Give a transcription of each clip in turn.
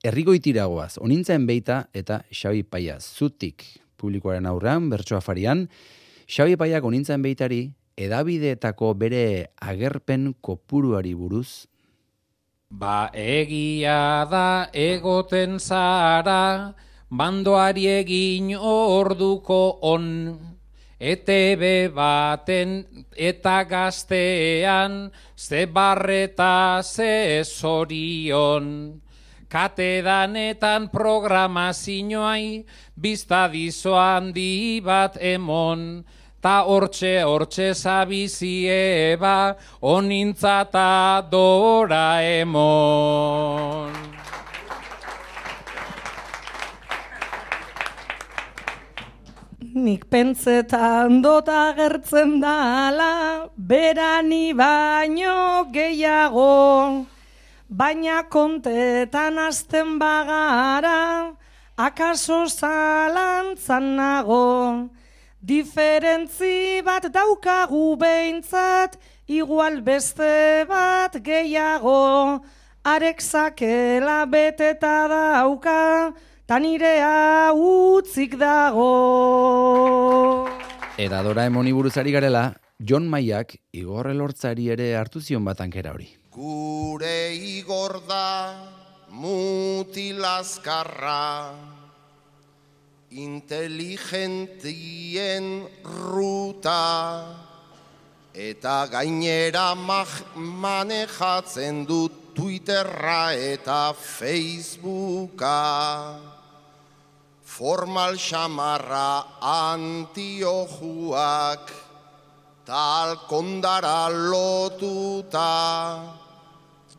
Errigoitiragoaz, Onintzaen Beita eta Xabi Paia zutik publikoaren aurrean, bertso afarian. Xabi Paiak Onintzaen Beitari edabideetako bere agerpen kopuruari buruz. Ba egia da egoten zara, bandoari egin orduko on. ETB baten eta gaztean, ze barreta ze zorion. Katedanetan programazioai, biztadizo handi bat emon. Ta hortxe zabizie ba, Onintza ta Doraemon. Nik pentsetan dot agertzen dala, berani baino gehiago, baina kontetan azten bagara, akaso zalantzan nago. Diferentzi bat daukagu behintzat, igual beste bat gehiago, arek zakela beteta dauka, ta nirea utzik dago. Eta Doraemoni buruzari garela, Jon Maiak Igor Elortzari ere hartu zion batankera hori. Gure Igor da mutilazkarra, inteligentien ruta, eta gainera manejatzen dut Twitterra eta Facebooka. Formal xamarra antiojuak, talkondara lotuta.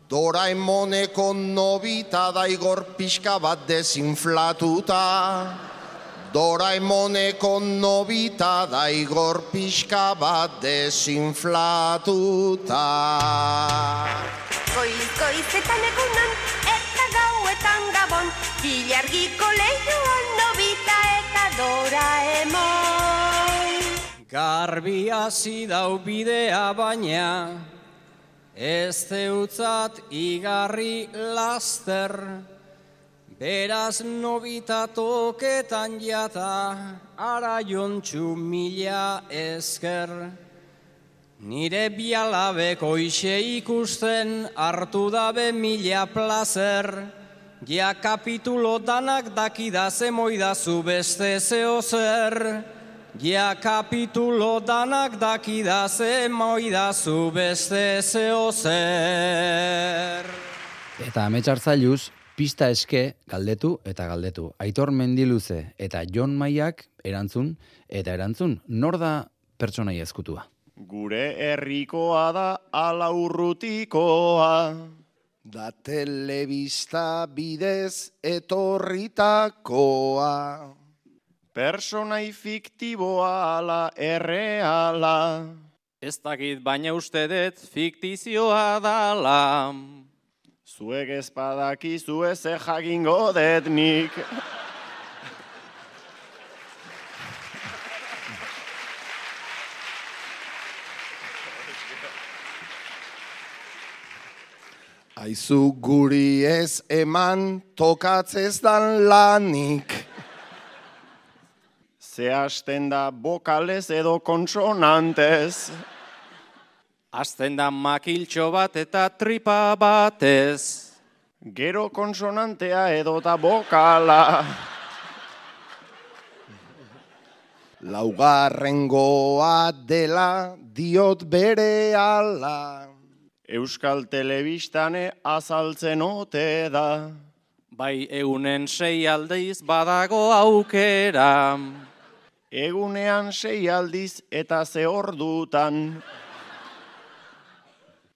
Doraemoneko nobita da Igor pixka bat desinflatuta. Doraemoneko nobita da Igor pixka bat desinflatuta. Goizetan egunon eta gauetan gabon, ilargiko lehioan nobita eta Doraemon. Garbi hasi dau bidea baina, ez zeutzat igarri laster, beraz nobita toketan jata, ara jontxu mila esker. Nire bialabeko ixe ikusten, hartu dabe mila plazer, ja kapitulo danak dakidaze moidazu beste zeo zer. Ja kapitulo danak dakidaze moidazu beste zeo zer. Eta Ametsartzailuz, pista eske galdetu eta galdetu. Aitor Mendiluze eta Jon Maiak erantzun eta erantzun. Nor da pertsonaia ezkutua? Gure herrikoa da ala urrutikoa, da telebista bidez etorritakoa. Personai fiktiboa ala erreala, Ez dakit baina uste dut fiktizioa dala. zuek ezpadakizu ez jakingo dut nik. Aizu guri ez eman tokatzez dan lanik. Ze hasten da bokalez edo konsonantez. Azten da makiltxo bat eta tripa batez. Gero konsonantea edota bokala. Laugarrengoa dela diot bere ala. Euskal Telebistane azaltzen ote da. Bai egunen 6 aldiz badago aukera. Egunean 6 aldiz eta ze ordutan.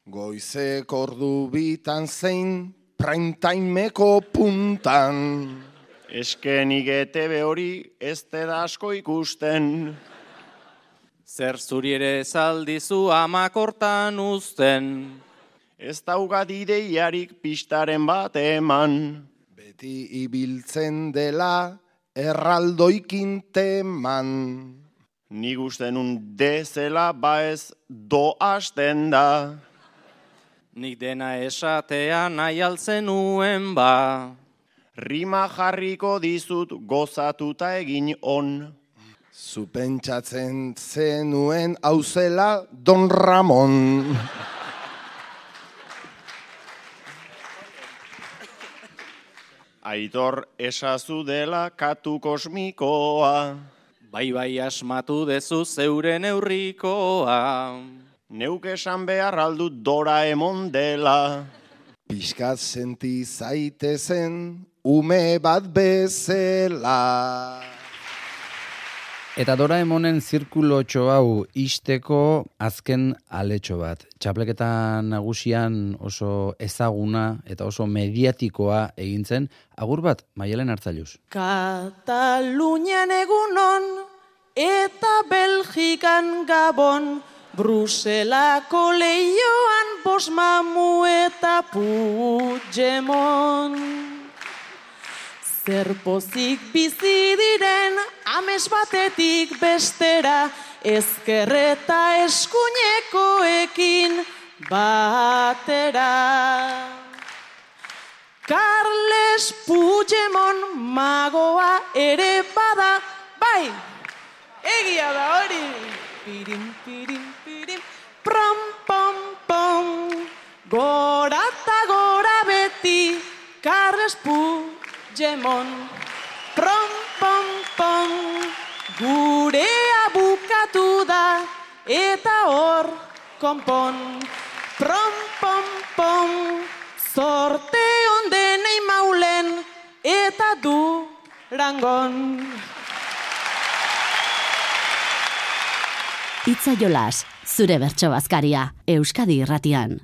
Goizek ordu bitan zein primetimeko puntan. Eskenik ETB hori ez da asko ikusten. Zer zuri ere zaldizu amakortan uzten. Ez daugat ideiarik pistaren bat eman. Beti ibiltzen dela erraldoikin teman. Nik usten dezela ba ez do hasten da. Nik dena esatea nahi altzen nuen ba. Rima jarriko dizut gozatuta egin on. Zu pentsatzen zenuen hauzela Don Ramon. Aitor esazu dela katu kosmikoa. Bai asmatu dezu zeure neurrikoa. Neuk esan behar aldut Doraemon dela. Piskat senti zaitezen ume bat bezala. Eta Doraemonen zirkulotxo hau isteko azken aletxo bat. Txapleketa nagusian oso ezaguna eta oso mediatikoa egin zen. Agur bat, Maialen Artzailuz. Katalunian egunon eta Belgikan Gabon, Bruselako leioan Bosmamu eta Puigdemont. Zer pozik bizi diren ames batetik bestera, ezkerreta eskuinekoekin batera. Carles Puigdemont magoa ere bada, bai, egia da hori. Pirim, pirim, pirim, prom, pom, pom, gora eta gora beti, Carles Puigdemont. Prom, pom, pom, gurea bukatu da, eta hor konpon. Prom, pom, pom, zorte ondenei maulen, eta Durangon. Itza jolas, zure bertso bazkaria, Euskadi Irratian.